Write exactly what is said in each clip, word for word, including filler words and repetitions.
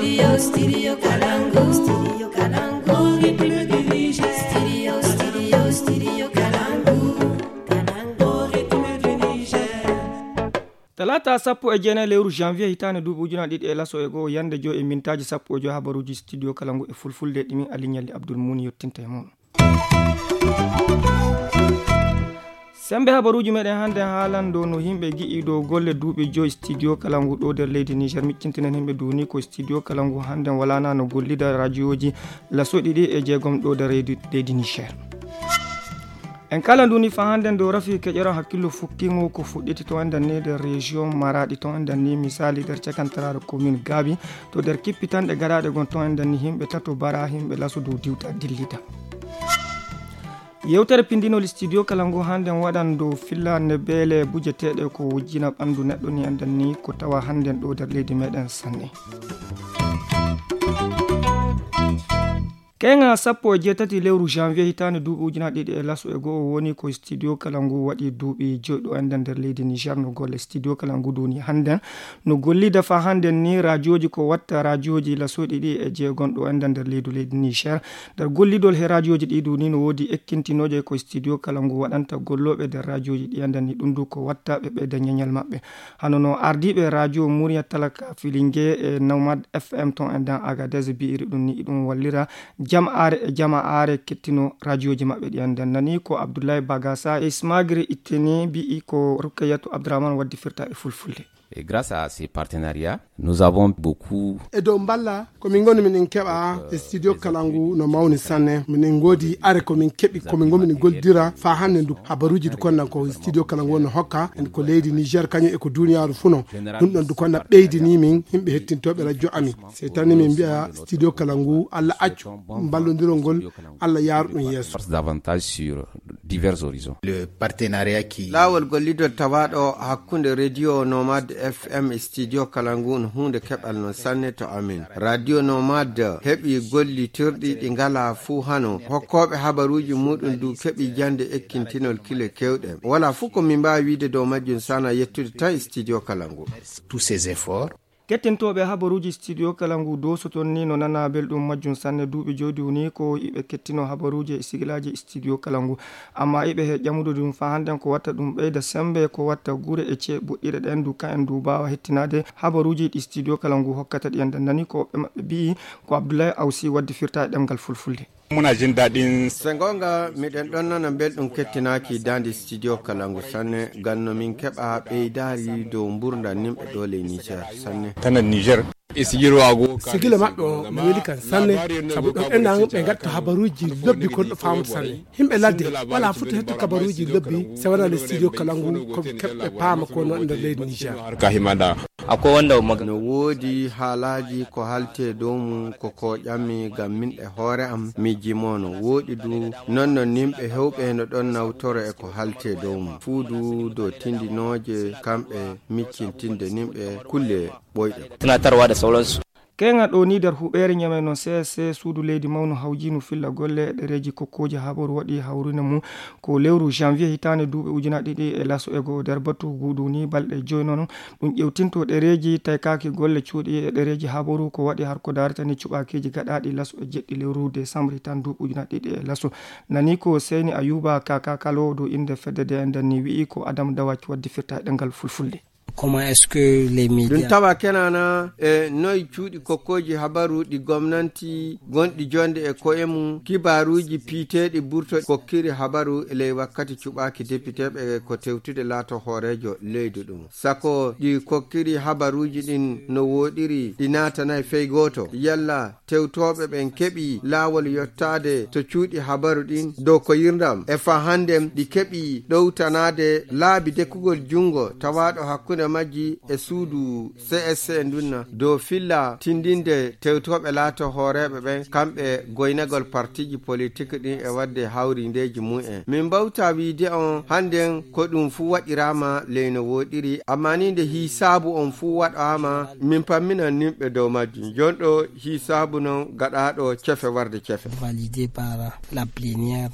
Studio, Studio Kalangu, Studio Kalangu, Studio, Studio, Studio Kalangu, Kalangu, Niger. Talaata sappo e jeenayi lewru janvier hitaande duuɓi ujunaaji ɗiɗi e laso e go'o, yannde joy e mintaaji sappo e joy, habaruuji Studio Kalangu e fulfulde ɗi min Ali Ɲalli Abdul Muuni yottinta e mon. Semmbe habaruuji meɗen hannde haalan dow no yimɓe gi'i dow golle duuɓi joy Studio Kalangu ɗo nder leydi Niger. Miccintinen yimɓe duuni ko Studio Kalangu hannde walana no gollida radiooji laso ɗiɗi e jeegom ɗo nder leydi Niger. En kala nduni fa hannde ndo rafi keƴeran hakkillo fukkingo ko fuɗɗiti ton e nder ni nder région Maradi ton e nder ni misali nder cakantaraare commune Gabi to nder kippitanɗe garaɗe gon ton e nder ni yimɓe tato bara yimɓe laso dow diwta dillita. Yewtere pindinol Studio Kalangu hannde waɗan dow fillande beele bujeteeɗe ko wujjina ɓanndu neɗɗo ni e nder ni ko tawa hannde ɗo nder leydi meɗen sanne. Keŋa sappo e jeetati lewru janvier hitaande duuɓi ujunaaji ɗiɗi e laso e go'o woni ko Studio Kalangu waɗi duuɓi joyɗo e nder leydi Niger. No golle Studio Kalangu duni hannden no gollida fa hannden ni radiooji ko watta radiooji laso ɗiɗi e jeegom ɗo e nder leydi leydi Niger. Nder gollidol he radiooji ɗi duni no woodi ekkintinooje ko Studio Kalangu waɗanta gollooɓe nder radiooji ɗi e nder ni ɗum du ko watta ɓe ɓeyda ñeñal maɓɓe. Hano no ardiiɓe radio Muriya Talaka Filinge e Nomad F M ton e nder Agadez bi'iri ɗum ni iɗum wallira jama'aare e jama'aare kettino radiooji maɓɓe ɗi e nder nani ko Abdullahi Bagasa e Ismagiri Itteni bi'i ko Rukkayatu Abdurrahman waddi firta e fulfulde. Et grâce à ces partenariats, nous avons beaucoup. E dow mballa ko min ngoni minen keɓa e studio kala ngu no mawni sanne. Minen ngoodi are ko min keɓi ko min ngomini goldira fa hannde ndu habaruuji du konna ko studio kala ngu wonno hokka en ko leydi Niger kañum e ko duniyaaru funo. Ɗum ɗon du konna ɓeydini min yimɓe hettintooɓe radio ami. Sey tani min mbiya studio kala ngu Allah accu mballondirol ngol Allah yaaru ɗum yeeso. Davantage sur divers horizons. Le partenariat qui laawol gollidol tawaaɗo hakkunde radio nomade F M e studio kala ngu no huunde keɓal non sanne to amin. Radio nomade heɓi gollitirɗi ɗi ngala fuu hano hokkooɓe habaruuji muɗum du keɓi jannde ekkintinol kile kewɗe. Wala fuu ko min mbaawi wiide dow majjum sana yettude tan e studio kala ngu. Tous ces efforts. Kettintooɓe habaruuji studio kala ngu dosoton ni no nana belɗum majjum sanne. Duuɓi joydi woni ko iɓe kettino habaruuji e sigilaaji studio kala ngu. Amma iɓe he ƴamude ɗum fa hannden ko watta ɗum ɓeyda semmbe ko watta gure e cee boɗɗire ɗen du ka en du mbaawa hettinaade habaruuji ɗi studio kala ngu hokkata ɗi en dandani ko ɓe maɓɓe mbi'i. Ko Abdullahi Awsi waddi firta e ɗemngal fulfulde. Muna jin daɗin. Se goonga miɗen ɗon nana belɗum kettinaaki daande studio kala ngu sanne ngam no min keɓa ɓeydaari dow mburndan nimɓe ɗo ley Niger sanne. Tana Niger. E sigiro ago sigila maɓɓe o no weli kan sanne. Sabu ɗon enan ɓe ngatta habaruuji lobbi kon ɗo faamude sanne. Himɓe ladde wala futa hettu kabaruuji lobbi se wona le studio kala ngu ko keɓɓe paama ko no nder leydi Niger. Ka himada. Akwai wanda maga no woodi haalaaji ko halte dow mum ko ko ƴammi ngam min e hoore am mi jimono wooɗi du. Non non nimɓe hewɓe no ɗon nawtoro e ko halte dow mum fuu du dow tindinooje kamɓe miccintinde nimɓe kulle ɓoyɗe. Tunatarwa da sauransu. Keŋa ɗo ni nder huɓeere ñame no C S C suudu leydi mawnu hawjinu filla golle e ɗereeji kokkooji habaru waɗi hawrina mum ko lewru janvier hitaande duuɓi ujunaaji ɗiɗi e laso e go'o nder batu guuɗu ni balɗe joy noon. Ɗum ƴewtinto ɗereeji taykaaki golle cuuɗi e ɗereeji habaru ko waɗi har ko daarata ni cuɓaakiiji gaɗaaɗi laso e jeɗɗi lewru décembre hitaande duuɓi ujunaaji ɗiɗi e laso. Nani ko Seyni Ayuba Kaka Kalo dow innde fedde nde nden ni wi'i ko Adam Dawac waddi firta e ɗemngal fulfulde. Comment est-ce que les médias ɗum tawa kenana e noy cuuɗi kokkooji habaru ɗi gomnanti gonɗi jonde e koye mum kibaaruuji piiteeɗi burto kokkiri habaru e ley wakkati cuɓaaki depiteeɓe ko tewtude laato hooreejo leydi ɗum sako ɗi kokkiri habaruuji ɗin no wooɗiri ɗi naatanay fey gooto yalla tewtooɓe ɓen keɓi laawol yottaade to cuuɗi habaru ɗin dow ko yirndam e fa hannden ɗi keɓi ɗowtanaade laabi dekkugol junngo tawaaɗo hakkunde majji e suudu C S C ndunna dow filla tindinde tewtooɓe laato hooreeɓe ɓen kamɓe goynagol partiiji politik ɗin e waɗde hawrindeeji mum en min mbawta wiide on hannden ko ɗum fuu waɗiraama ley no wooɗiri amma ni nde hiisaabu on fuu waɗaama min pamminan nimɓe dow majjum jonɗo hiisaabu non gaɗaaɗo cefe warde cefe. Validé par la plénière.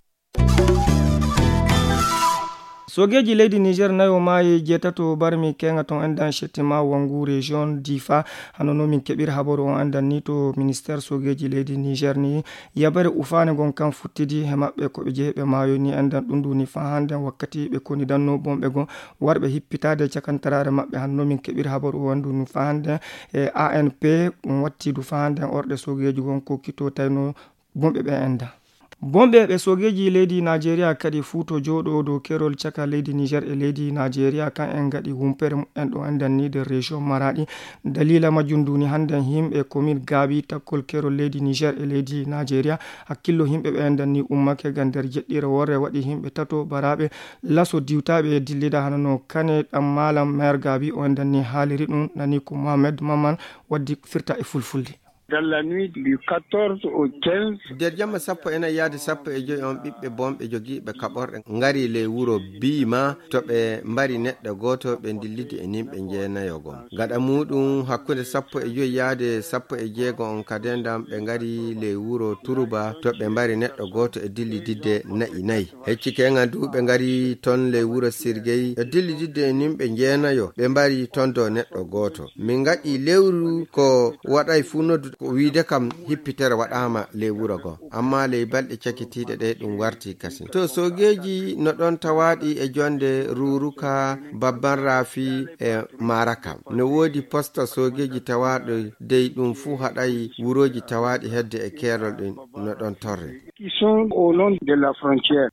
Soogeeji leydi Niger nayo maayi, jeetato barmi keeŋa ton endan Shettima Wangu région Difa. Hano no min keɓir habaru on endan ni to ministère soogeeji leydi Niger ni yabare ufaane gon kan futtidi he maɓɓe ko ɓe jeeɓe maayo ni endan ɗum ɗum ni faa hande wakkati ɓe koni danno bonɓe gon warɓe hippitaade cakantaraare maɓɓe. Hano no min keɓir habaru on ɗum faa hande e A N P ɗum watti du faa hande orɗe soogeeji gon ko kito tayno bonɓe ɓe enda. Bonɓe ɓe soogeeji leydi Najeriya kadi fuuto jooɗo dow kerol caka leydi Niger e leydi Najeriya kan en ngaɗi wumpere mumen ɗo endan ni nder région Maradi. Dalila majjum duni hande himɓe komin gaabi takkol kerol leydi Niger e leydi Najeriya. Hakkillo himɓe ɓe endan ni ummake ga nder jeɗɗire worre waɗi himɓe tato baraɓe laso diwtaɓe dillida hano no kane ɗan malam maire gaabi o endan ni haaliri ɗum nani ko Mohamed Maman waddi firta e fulfulde. Dans la nuit du quatorze au quinze. Nder jamma sappo e nayi yaade sappo e joyi on, ɓiɓɓe bonɓe jogiiɓe kaɓorɗe ngari ley wuro Biima to ɓe mbari neɗɗo gooto, ɓe ndillidi e nimɓe jeenayo gom. Gaɗa muuɗum, hakkunde sappo e joyi yaade sappo e jeego on ka dendam, ɓe ngari ley wuro Turuba to ɓe mbari neɗɗo gooto e dillididde na'i nayi. Hecci keŋan du ɓe ngari ton ley wuro Sirgey e dillididde e nimɓe jeenayo, ɓe mbari ton do neɗɗo gooto. Min ngaɗi lewru ko waɗay fuu noddu ko wiide kam hippitere waɗaama ley wuro goo. Amma ley balɗe cakitiiɗe ɗe ɗum warti kasin. To soogeeji no ɗon tawaaɗi e jonde Ruuruka, Babban Raafi e Maaraka. No woodi posta soogeeji tawaaɗo dey ɗum fuu haɗay wurooji tawaaɗi hedde e keerol ɗin no ɗon torre. Qui sont au long de la frontière.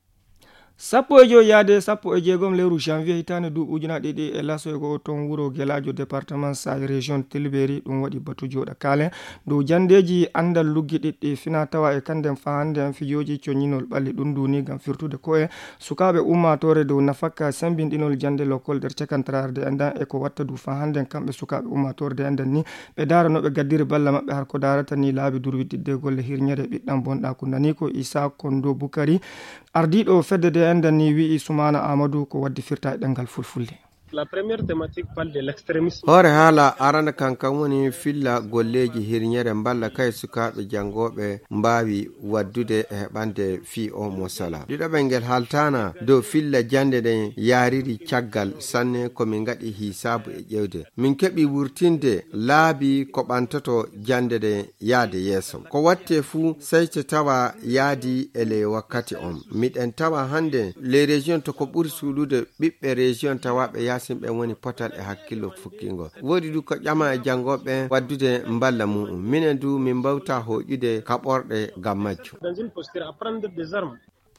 Sappo e joyi yaade sappo e jeegom lewru janvier hitaande duuɓi ujunaaɗe ɗiɗi e laso e go'o toon wuro Gelaajo département Saay région Tilberi ɗum waɗi batu jooɗa kaalen dow janndeeji anndal luggiɗiɗɗi fina tawa e kannden faa hannde en fijooji coñinol ɓalli ɗum duuni ngam firtude ko'e sukaaɓe ummaatoore dow nafakka semmbinɗinol jannde lokol nder cakantaraare de anndan e ko watta du faa hannde en kamɓe sukaaɓe ummaatoore de anndan ni ɓe ndaara no ɓe gaddiri balla maɓɓe har ko ndaarata ni laabi durwiɗɗiɗde golle hirñere ɓiɗɗan bonɗaaku nani ko Isa Kondo Bukari. Ardiiɗo fedde de enɗan ni wi'i Sumaana Aamadu ko waddi firta e ɗemngal fulfulde. La première thématique parle de l'extrémisme. Hoore haala arana kan kan woni filla golleeji hirñere mballa kay sukaaɓe janngooɓe mbaawi waddude e heɓande fii o mo sala. Ɗiɗaɓel ngel haaltaana dow filla jannde ɗen yaariri caggal sanne ko min ngaɗi hisaabu e ƴeewde. Min keɓi wurtinde laabi ko ɓantoto jannde ɗen yaade yeeso. Ko watte fuu sey to tawa yaadi e ley wakkati on. Miɗen tawa hannde ley région to ko ɓuri suuɗude ɓiɓɓe région tawaaɓe yaasin ɓen woni potal e hakkillo fukkingo. Woodi du ko ƴama e janngooɓe ɓen waddude mballa mu'un. Minen du min mbawta hooƴude kaɓorɗe ngam majjum. Dans une posture à prendre des armes.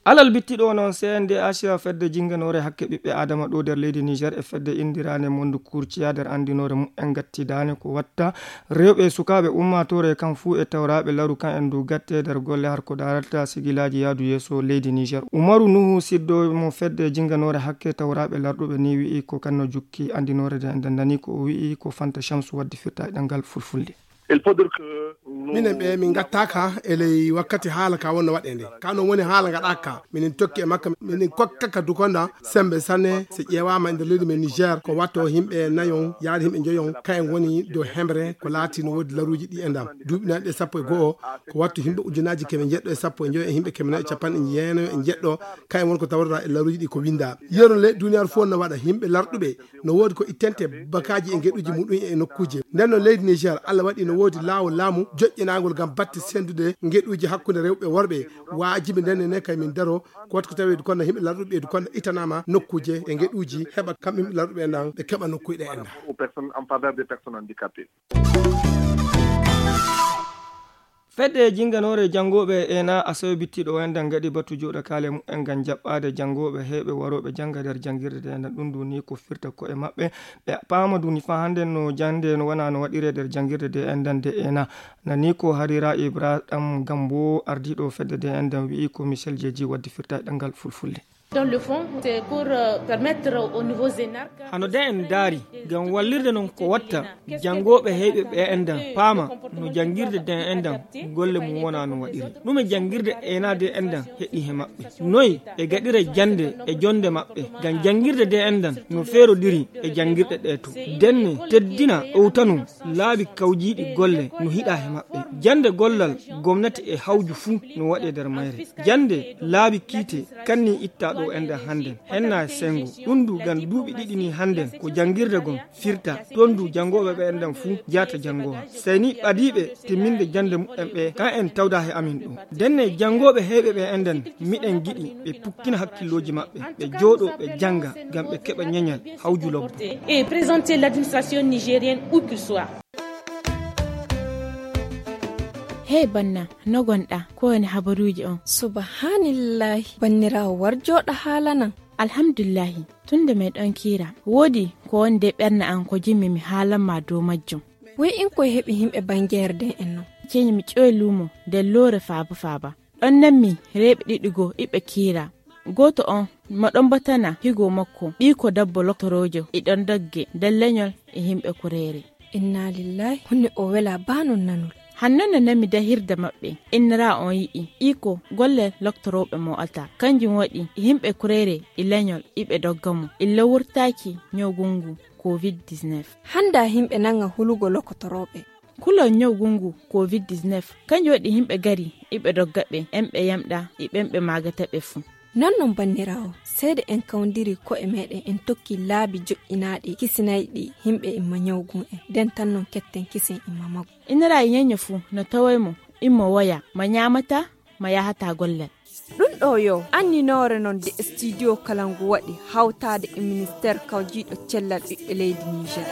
Alal bittiɗo noon C N D H fedde jinnganoore hakke ɓiɓɓe Adama ɗo nder leydi Niger e fedde inndiraande Mondu Kurciya nder anndinoore mumen gattidaane ko watta rewɓe e sukaaɓe ummaatoore kan fuu e tawraaɓe laru kan en du gatte nder golle har ko daarata sigilaaji yaadu yeeso leydi Niger. Umaru Nuhu siddo mo fedde jinnganoore hakke tawraaɓe larɗuɓe ni wi'i ko kan no jukki anndinoore de en dandani ko o wi'i ko Fanta Shamsu waddi firta e ɗemngal fulfulde. Il faut dire que nous... Minen ɓe min ngattaaka e ley wakkati haala ka wonno waɗe nde. Ka non woni haala ngaɗaaka ka. Minen tokki e makka, minen kokkaka dukonda sembe sanne, so ƴeewaama e nder leydi men Niger, ko watto himɓe nayon, yaade himɓe njoyon, kayen woni dow hemre, ko laati no woodi laruuji ɗi e ndam. Duuɓi nayi ɗe sappo e go'o, ko watto himɓe ujunaaji keme njeɗɗo e sappo e njoyo e himɓe keme nayi e capanɗe jeenayo e njeɗɗo, kayen woni ko tawrata e laruuji ɗi ko winda. Yeru le duniyaaru fof no waɗa himɓe larɗuɓe, no woodi ko ittente bakaaji e ngeɗuuji muɗum e nokkuuje. Nden no leydi Niger, Allah waɗi no woodi laawol laamu joƴƴinaangol ngam batte sendude ngeɗuuji hakkunde rewɓe e worɓe. Waajibi nden ne kay min daro, ko waɗi ko tawi du konno himɓe larɗuɓe du konno ittanaama nokkuuje e ngeɗuuji heɓa kamɓe himɓe larɗuɓe en ɗan ɓe keɓa nokkuuje ɗe en ɗan. Aux personnes, en faveur des personnes handicapées. Fedde jinnganoore janngooɓe ena asawe bittiiɗo o enɗan ngaɗi batu jooɗa kaale mumen ngam jaɓɓaade janngooɓe heewɓe warooɓe jannga nder janngirde nde enɗan. Ɗum ɗum ni ko firta ko'e maɓɓe, ɓe paama ɗum ni faa hannde no jannde no wona no waɗiree nder janngirde nde enɗan nde ena. Nani ko Harira Ibrahim Gambo, ardiiɗo fedde nde enɗan, wi'i ko Michel Jeeji waddi firta e ɗemngal fulfulde. Dans le fond, c'est pour, euh, permettre aux nouveaux énarques... Hano de en ndaari, ngam wallirde non ko watta janngooɓe heewɓe ɓe enɗan paama no janngirde de enɗan golle mum wona no waɗiri. Ɗume janngirde ena de enɗan heɓi he maɓɓe? Noy e gaɗira jannde e jonnde maɓɓe? Ngam janngirde de enɗan no feerodiri e janngirɗe ɗe to. Denne, teddina, ɗowtano laabi kawjiiɗi golle no hiɗa he maɓɓe. Jannde gollal gomnati e hawju fuu no waɗe nder mayre. Jannde laabi kiite kanni itta ɗo. Ko enɗen hannden, henna e senngo. Ɗum du, ngam duuɓi ɗiɗi ni hannden, ko janngirde gon firta. Toon du, janngooɓe ɓe enɗen fuu jaata janngowa. Sey ni ɓadiiɓe timminde jannde muɓɓen ɓe, ka en tawda he amin ɗo. Ndenne janngooɓe heewɓe ɓe enɗen, miɗen giɗi ɓe pukkina hakkillooji maɓɓe, ɓe jooɗo, ɓe jannga, ngam ɓe keɓa ñeñal, hawju lobbo. Et présenter l'administration nigérienne où qu'il soit. Hey banna, no gonɗa? Ko woni habaruuji on? Subhanillahi, banniraawo, war jooɗa haalanan. Alhamdulillahi, tun nde meɗon kiira, woodi ko woni de ɓernde an ko jimmi mi haalan ma dow majjum. Woy in koye heɓi himɓe bangeere den en non? Ceeni mi ƴoy luumo nder loore faaba faaba. Ɗon nanmi rewɓe ɗiɗi goo iɓe kiira. Gooto on mo ɗon batana higo makko, ɓiiko dabbo loktoroojo, e ɗon dogge nder leñol e himɓe kureere. Inna lillahi, hunde o wela baa non nanol. Hanno no nami dahirde maɓɓe, innira on yi'i, iko golle loktorooɓe mo ata. Kanjum waɗi yimɓe kureere e leñol iɓe dogga mo, illa wurtaaki ñawgu ngu covid dix-neuf. Hannda yimɓe nanga hulugo loktorooɓe. Kulol ñawgu ngu covid dix-neuf, kanjum waɗi yimɓe gari iɓe dogga ɓe, en ɓe yamɗa e ɓen ɓe maagata ɓe fuu. Non non banniraawo, seede en kawndiri ko'e meɗen en tokki laabi joƴƴinaaɗi kisinayɗi yimɓe imma ñawgu en, nden tan non ketten kisen imma maggu. Innira e ñeño fuu no taway mo, immo woya, ma ñaamata, ma yahata gollal. Ɗum ɗo yo anninoore non de studio kala ngu waɗi hawtaade e ministeer kawjiiɗo cellal ɓiɓɓe leydi Niger.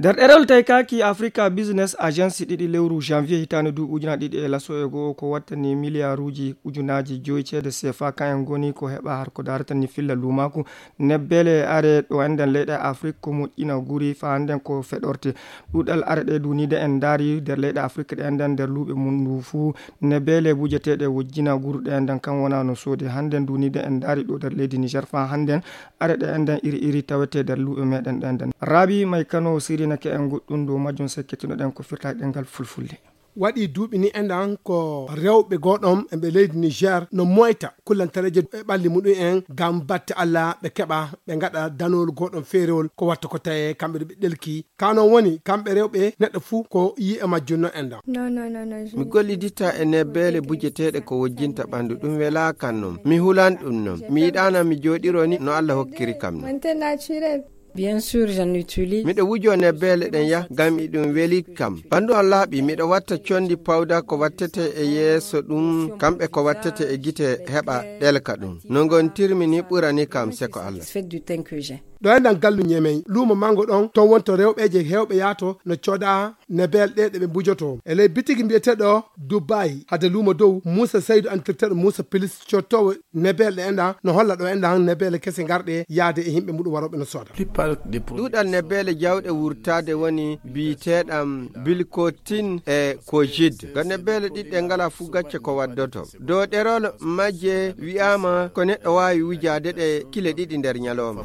Nder ɗerewol taykaaki Africa Business Agency ɗiɗi lewru janvier hitaande duuɓi ujunaaji ɗiɗi e laso e go'o ko wattani miliyaaruuji ujunaaji joyi ceede sefa, kayen ngoni ko heɓa har ko darata ni filla luumaaku. Nebbeele are ɗo enɗen leyɗe Afrik ko moƴƴina guri fa hannden ko feɗorte. Ɗuuɗal are ɗe duuniide en ndaari nder leyɗe Afrik ɗe enɗen nder luuɓe mum ndu fuu. Nebbeele bujeteeɗe wojjina guru ɗe enɗen kan wona no soodi. Hannden duuniide en ndaari ɗo nder leydi Niger fa hannden are ɗe enɗen iri iri tawete nder luuɓe meɗen ɗe enɗen. Raabi May Kano sirinake en goɗɗum dow majjum, sekkitinoɗen ko firtaaki ɗemngal fulfulde. Waɗi duuɓi ni enɗan ko rewɓe goɗɗon e ɓe leydi Niger no moyta kullantareeje e ɓalli muɗum en ngam batte Alla ɓe keɓa ɓe ngaɗa danol goɗɗon feerewol ko watta ko taye kamɓe ɓe ɗelki. Ka non woni kamɓe rewɓe neɗɗo fuu ko yi'e majjum no enɗan. Non, non, non, non, je Mi gollidita e nebbeele bujeteeɗe ko wojjinta ɓandu, ɗum welaa kan non. Mi hulan ɗum non. Mi yiɗaana mi jooɗiro ni no Alla hokkiri kam non. Mante naturel. Bien sûr, j'en utilise. Miɗo wujoo nebbeele ɗen yah, ngam iɗum weli kam. Ɓandu on laaɓi, miɗo watta condi pawda ko wattete e yeeso ɗum, kamɓe ko wattete e gite heɓa ɗelka ɗum. No ngontirmi ni ɓurani kam seko Allah. Satisfaite du teint que j'ai. Ɗo enɗan gallu Ñemey, luumo mango ɗon, ton wonto rewɓeeje heewɓe yaato no cooda nebel ɗe ɗe ɓe mbujoto. E ley bitigi mbiyeteeɗo Dubai, hade luumo dow, Muusa Saydu, andirteeɗo Muusa Pilis, cottoowo nebel ɗe enɗan, no holla ɗo enɗan nebele kese ngarɗe yaade e yimɓe muɗum warooɓe no sooda. Ɗuuɗal nebele jawɗe wurtaade woni biyeteeɗam bilkotin e kojid. Ko nebele ɗiɗɗe ngala fuu gacce ko waddoto. Dow ɗerol majje wi'aama ko neɗɗo waawi wujaade ɗe kile ɗiɗi nder ñalooma.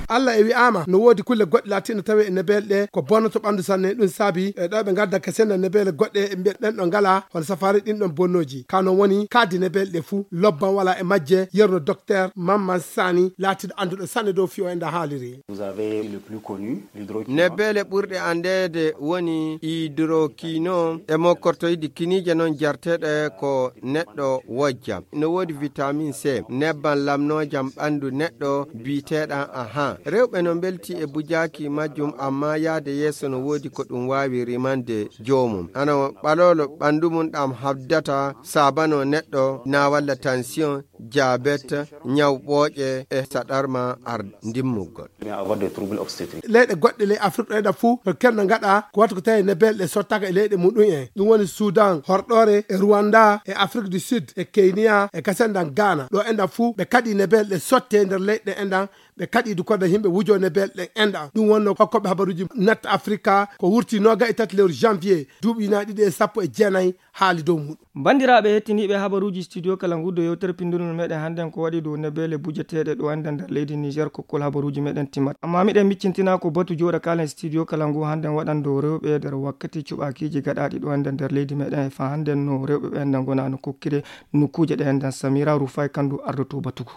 Allah e wi'aama no woodi kulle goɗɗe laatiiɗe tawi e nebele ɗe ko bonnoto ɓanndu sanne. Ɗum saabi e ɗo ɓe ngadda ka senna nebele goɗɗe e mbiya ɗen ɗo ngala hono safaari ɗin ɗon bonnooji. Ka non woni kaadi nebele ɗe fuu lobban wala e majje, yerno docteur Mamman Sani laatiiɗo annduɗo sanne dow fiyo e nda haaliri. Vous avez le plus connu, l'hydroquinone. Nebele ɓurɗe anndeede woni hydroquinone e mokkortoydi kiniije non jarteeɗe ko neɗɗo wojja. No woodi vitamin C, nebban lamnoojam ɓandu neɗɗo biyeteeɗan aha. Rewɓe no mbelti e bujaaki majjum, amma yaade yeeso no woodi ko ɗum waawi rimande joomum. Hano ɓalolo ɓandu mum ɗam habdata saabano neɗɗo na walla tension, diabète, ñaw ɓooƴe e saɗarma ar ndimmugol. Leyɗe goɗɗe ley Afrik ɗo enɗan fuu no kerna ngaɗa ko wata ko tawi nebele ɗe sottaaka e leyɗe muɗum en. Ɗum woni Sudan horɗoore e Rwanda e Afrik du Sud e Kenya e kasendan Ghana. Ɗo enɗan fuu ɓe kaɗi nebele ɗe sotte nder leyɗe enɗan. Ɓe kaɗi du koda yimɓe wujo nebele ɗen enɗan. Ɗum wonno hokkoɓe habaruuji Net Africa ko wurti nooga e tati lewru janvier duuɓi ujunaaji ɗiɗi e sappo e jeenayi haali dow muɗum. Banndiraaɓe hettiniiɓe habaruuji studio kala ngu, dow yewtere pinndundu meɗen hannden ko waɗi dow nebele bujeteeɗe ɗo enɗan nder leydi Niger, kokkol habaruuji meɗen timmat. Amma miɗen miccintina ko batu jooɗa kaalen studio kala ngu hannden waɗan dow rewɓe nder wakkati cuɓaakiiji gaɗaaɗi ɗo enɗan nder leydi meɗen e fa hannden no rewɓe ɓe enɗan ngona no kokkire nokkuuje ɗe enɗan. Samira Rufai Kandu ardoto batugu.